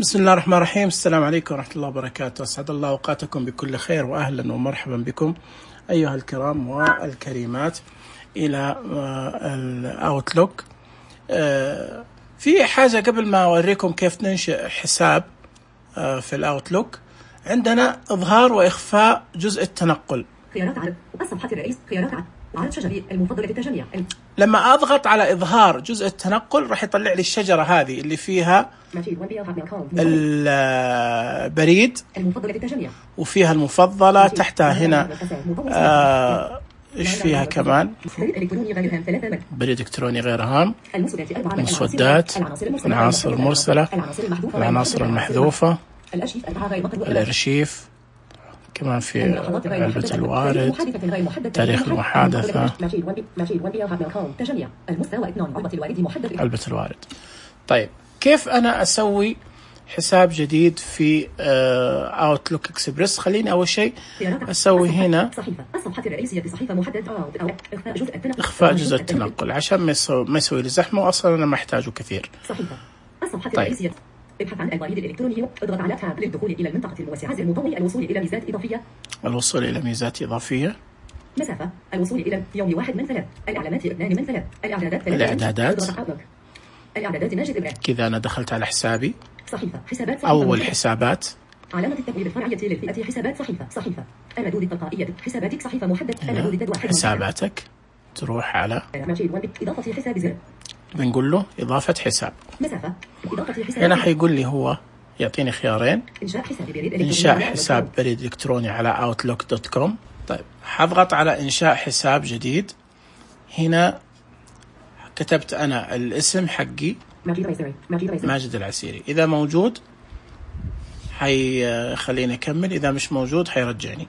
بسم الله الرحمن الرحيم. السلام عليكم ورحمة الله وبركاته. أسعد الله أوقاتكم بكل خير، وأهلا ومرحبا بكم أيها الكرام والكريمات إلى الأوتلوك. في حاجة قبل ما أوريكم كيف ننشئ حساب في الأوتلوك. عندنا إظهار وإخفاء جزء التنقل. خيارات عرض الصفحة الرئيس، خيارات عرض شجري المفضلة للتجميع. لما أضغط على إظهار جزء التنقل راح يطلع لي الشجرة هذه اللي فيها البريد المفضلة للتجميع، وفيها المفضلة تحتها هنا إيش فيها كمان؟ بريد إلكتروني غير هام، المسودات، العناصر المرسلة، العناصر المحذوفة، الأرشيف، كمان في علبة الوارد، تاريخ المحادثة، علبة الوارد. طيب كيف أنا أسوي حساب جديد في أوتلوك إكسبرس؟ خليني أول شيء أسوي هنا إخفاء جزء التنقل عشان ما يسوي لي زحمة، وأصلا أنا ما أحتاجه كثير. طيب ابحث عن البريد الإلكتروني، اضغط على تاب للدخول إلى المنطقة الموسعة المنضوية، الوصول إلى ميزات إضافية، الوصول إلى ميزات إضافية، مسافة، الوصول إلى يوم 1 من 3، الإعلانات 2 من 3، الإعدادات ناجد إبراهيم. كذا أنا دخلت على حسابي. صحيفة، حسابات، أول حسابات، علامة التبويب الفرعية للفئة، حسابات، صحيفة، الردود التلقائية، حساباتك، صحيفة محدد، الردود حساباتك، تروح على إضافة حساب زر، بنقول له إضافة حساب. مسافة، إضافة حساب. هنا حيقول لي هو يعطيني خيارين، إنشاء حساب بريد إلكتروني على outlook.com. طيب حضغط على إنشاء حساب جديد. هنا كتبت أنا الاسم حقي ماجد العسيري، إذا موجود حيخليني أكمل، إذا مش موجود حيرجعني.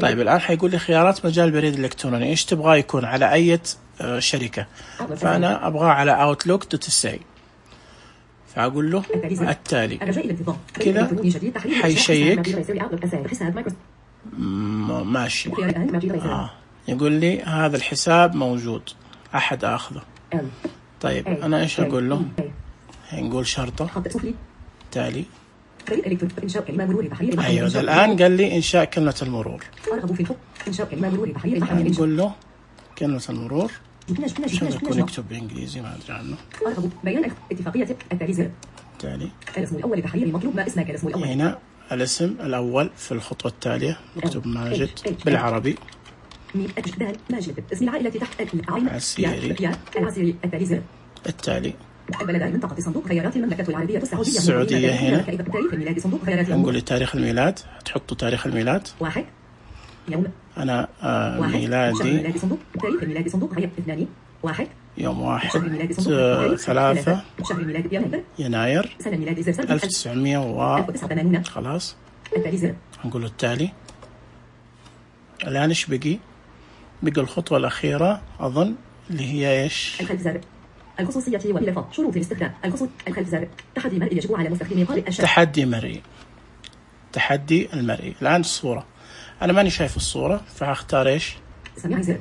طيب الآن حيقول لي خيارات مجال بريد الإلكتروني، إيش تبغى يكون على أي شركة؟ فأنا أبغاه على outlook.ca، فأقول له التالي. كذا حيشيك ماشي. يقول لي هذا الحساب موجود، أحد أخذه. طيب أنا إيش أقول له؟ نقول شرطة تالي. أيوة الآن قال لي إنشاء كلمة المرور. نقول له كلمة المرور عشان يكون يكتب بالإنجليزي، ما أدري عنه. بيان اتفاقية التالي. الاسم الأول لتحرير المطلوب، ما اسمك الاسم الأول. هنا الاسم الأول في الخطوة التالية مكتوب ماجد بالعربي. ماجد، اسم العائلة تحت عسيري التالي. البلد منطقة صندوق خيارات المملكة العربية السعودية. هنا تاريخ الميلاد صندوق خيارات، نقول لي تاريخ الميلاد، تحطوا تاريخ الميلاد. 1 يوم أنا ميلادي، تاريخ الميلاد صندوق خيارات 2 1 يوم 1/3 يناير 1900 خلاص. نقول التالي. الآن إيش بقي الخطوة الأخيرة أظن اللي هي إيش؟ الخصوصية والإضافة، شروط الاستخدام، الخلف زر، تحدي مرئي يجب على مستخدمي قارئ الشاشة. تحدي المرئي. الآن الصورة أنا ماني شايف الصورة، فهختار إيش؟ سماعي زر.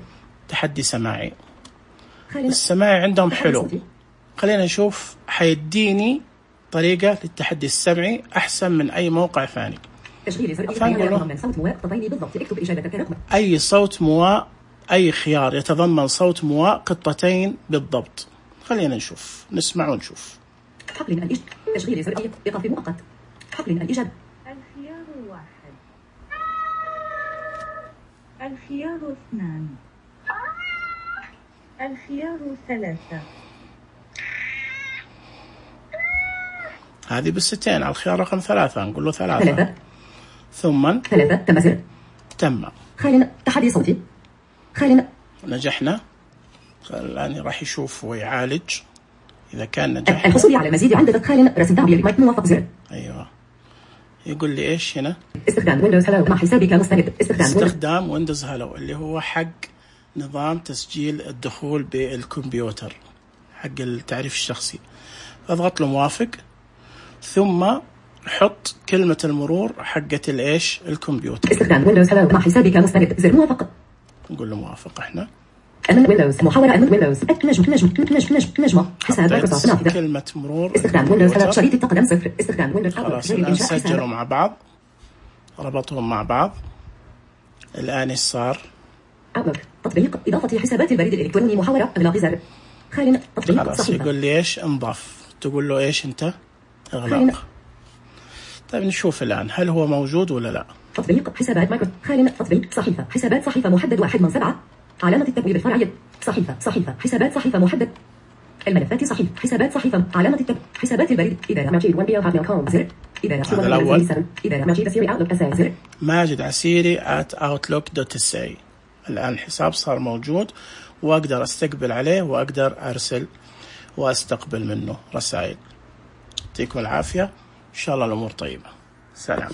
تحدي سماعي. السماعي عندهم حلو، خلينا نشوف حيديني طريقة للتحدي السمعي أحسن من أي موقع ثاني. أي صوت مواء، أي خيار يتضمن صوت مواء قطتين بالضبط. خلينا نشوف، نسمع ونشوف. حقل تشغيل زر إيقاف مؤقت. حقل الإجابة. الخيار 1، الخيار 2، الخيار 3. هذه بالستين على الخيار رقم 3، نقول له 3 ثم 3 تم زر. تم. خلينا تحدي صوتي. خلينا نجحنا. الآن راح يشوف ويعالج إذا كان نجح. الحصول على المزيد عندك. خلينا رسم تعبير مايك موافق زر. أيوة. يقول لي إيش هنا؟ استخدام ويندوز هلو مع حسابك مستند. استخدام ويندوز هلو اللي هو حق نظام تسجيل الدخول بالكمبيوتر، حق التعريف الشخصي. أضغط له موافق، ثم حط كلمة المرور حقة الإيش الكمبيوتر. استخدام ويندوز هلو مع حسابك مستند زر موافق. نقول له موافق. إحنا أمن ويندوز محاورة أمن ويندوز نجمة حساب مايكروسوفت نافذة كلمة مرور استخدام ويندوز ألرت شريط التقدم 0 استخدام ويندوز خلاص الآن سجلوا مع بعض ربطهم مع بعض. الآن إيش صار؟ أوتلوك تطبيق إضافة حسابات البريد الإلكتروني محاورة إغلاق زر خال تطبيق خلاص صحيفة يقول لي إيش انضاف، تقول له إيش أنت إغلاق. طيب نشوف الآن هل هو موجود ولا لا. تطبيق حسابات مايكرو خال تطبيق صحيفة حسابات صحيفة محدد 1 من 7 علامة التبويب الفرعية صحيفة حسابات صحيفة محدد الملفات صحيفة حسابات صحيفة علامة التبويب حسابات البريد إدارة ماجد 1 بي هاتميل كوم زر إدارة هذا الأول إدارة ماجد عسيري أوتلوك أساي زر ماجد عسيري @outlook.sa. الآن الحساب صار موجود وأقدر أستقبل عليه وأقدر أرسل وأستقبل منه رسائل. يعطيكم العافية، إن شاء الله الأمور طيبة. سلام.